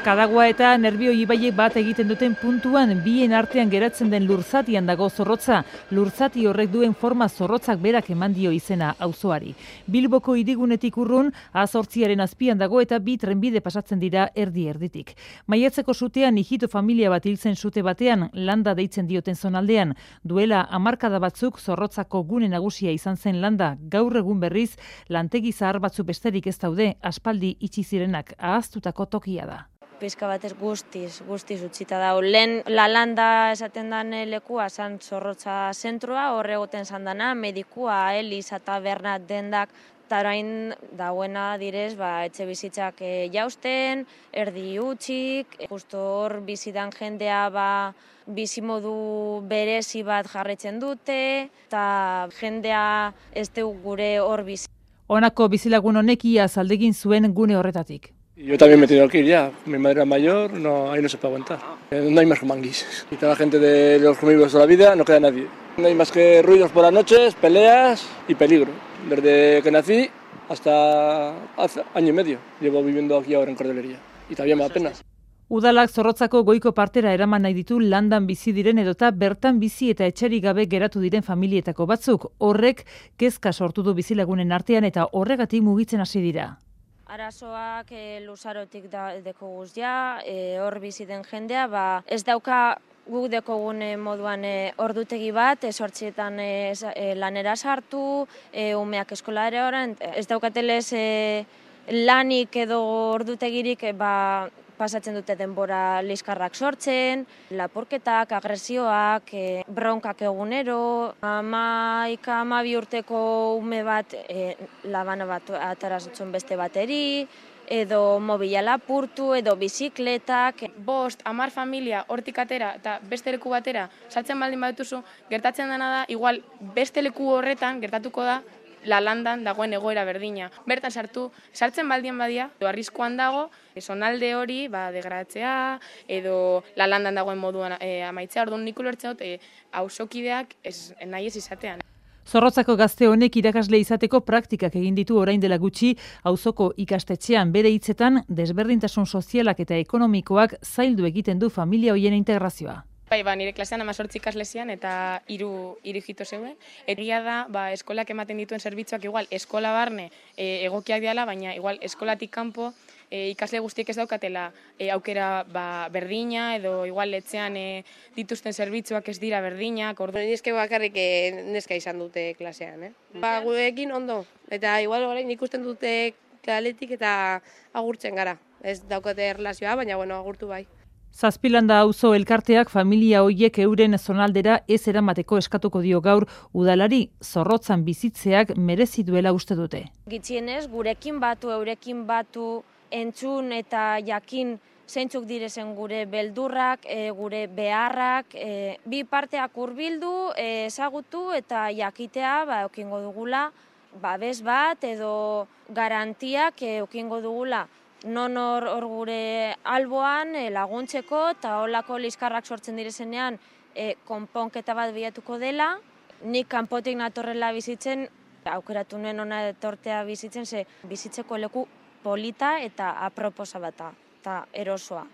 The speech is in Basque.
Kadagua eta Nerbio ibaiek bat egiten duten puntuan, bien artean geratzen den lurzatian dago zorrotza. Lurzati horrek duen forma zorrotzak berak eman dio izena auzoari. Bilboko hirigunetik urrun, A8aren azpian dago eta bi trenbide pasatzen dira erdi-erditik. Maiatzeko sutean hijito familia bat hiltzen sute batean, landa deitzen dioten zonaldean. Duela hamarkada batzuk zorrotzako gune nagusia izan zen landa. Gaur egun berriz, lantegi zahar batzu besterik ez daude, aspaldi itxi zirenak ahaztutako tokia da. Pizka batez guztiz utzita da. Lehen Lalanda esaten den lekua zan Zorrotza zentroa, horre egoten zan dana, medikua, Eliza, taberna, dendak, eta orain dauena direz, etxe bizitzak jausten, erdi utxik, justo hor bizidan jendea bizimodu berezi bat jarraitzen dute, eta jendea ez dugu gure hor bizi. Honako bizilagun honek iaz aldegin zuen gune horretatik. Yo también me he tenido que ir ya. Mi madre era mayor, ahí no se puede aguantar. No hay más manguis. Y toda la gente de los conmigo de la vida, no queda nadie. No hay más que ruidos por las noches, peleas y peligro. Desde que nací hasta hace año y medio llevo viviendo aquí ahora en Cordelería. Y todavía me da pena. Udalak Zorrotzako goiko partera eraman nahi ditu landan bizi diren edota bertan bizi eta etxerik gabe geratu diren familietako batzuk. Horrek kezka sortu du bizilagunen artean eta horregatik mugitzen hasi dira. Arazoak luzarotik deko guztia, hor bizi den jendea, ez dauka guk dekogun moduan ordutegi bat, 8etan lanera sartu, umeak eskolara oran, ez daukatelez lanik edo ordutegirik pasatzen dute denbora liskarrak sortzen, laporketak, agresioak, bronkak egunero, 11-12 urteko ume bat labana bat atarazutzen beste bateri, edo mobila lapurtu, edo bizikletak. 5-10 familia hortik atera eta beste leku batera saltzen baldin badituzu, gertatzen dena da, igual beste leku horretan gertatuko da, Lalandan dagoen egoera berdina. Bertan sartzen baldien badia, arriskuan dago, zonalde hori degradatzea, edo Lalandan dagoen moduan amaitzea, orduan nik ulertzen dut, auzokideak nahi ez izatean. Zorrotzako gazte honek irakasle izateko praktikak egin ditu orain dela gutxi auzoko ikastetxean, bere hitzetan desberdintasun sozialak eta ekonomikoak zaildu egiten du familia hoien integrazioa. Nire klasean 18 ikaslezian eta 3 hijito zeuden. Egia da, eskolak ematen dituen zerbitzuak igual eskola barne egokiak diala, baina igual eskolatik kanpo ikasle guztiek ez daukatela aukera berdina edo igual etxean dituzten zerbitzuak ez dira berdinak. Nizke bakarrik neska izan dute klasean. Gurekin ondo, eta igual orain ikusten dute kaletik eta agurtzen gara. Ez daukate erlazioa, baina agurtu bai. Zazpilanda auzo elkarteak familia hoiek euren zonaldera ez eramateko eskatuko dio gaur udalari. Zorrotzan bizitzeak merezi duela uste dute. Gitxienez, gurekin batu, eurekin batu, entzun eta jakin zeintzuk direzen gure beldurrak, gure beharrak, bi parteak hurbildu, ezagutu eta jakitea eukingo dugula babes bat edo garantiak eukingo dugula. Non hor gure alboan laguntzeko eta holako liskarrak sortzen direzenean konponketa bat bilatuko dela. Nik kanpotik natorrela bizitzen, aukeratu nuen ona etortea bizitzen, bizitzeko leku polita eta aproposa bat eta erosoa.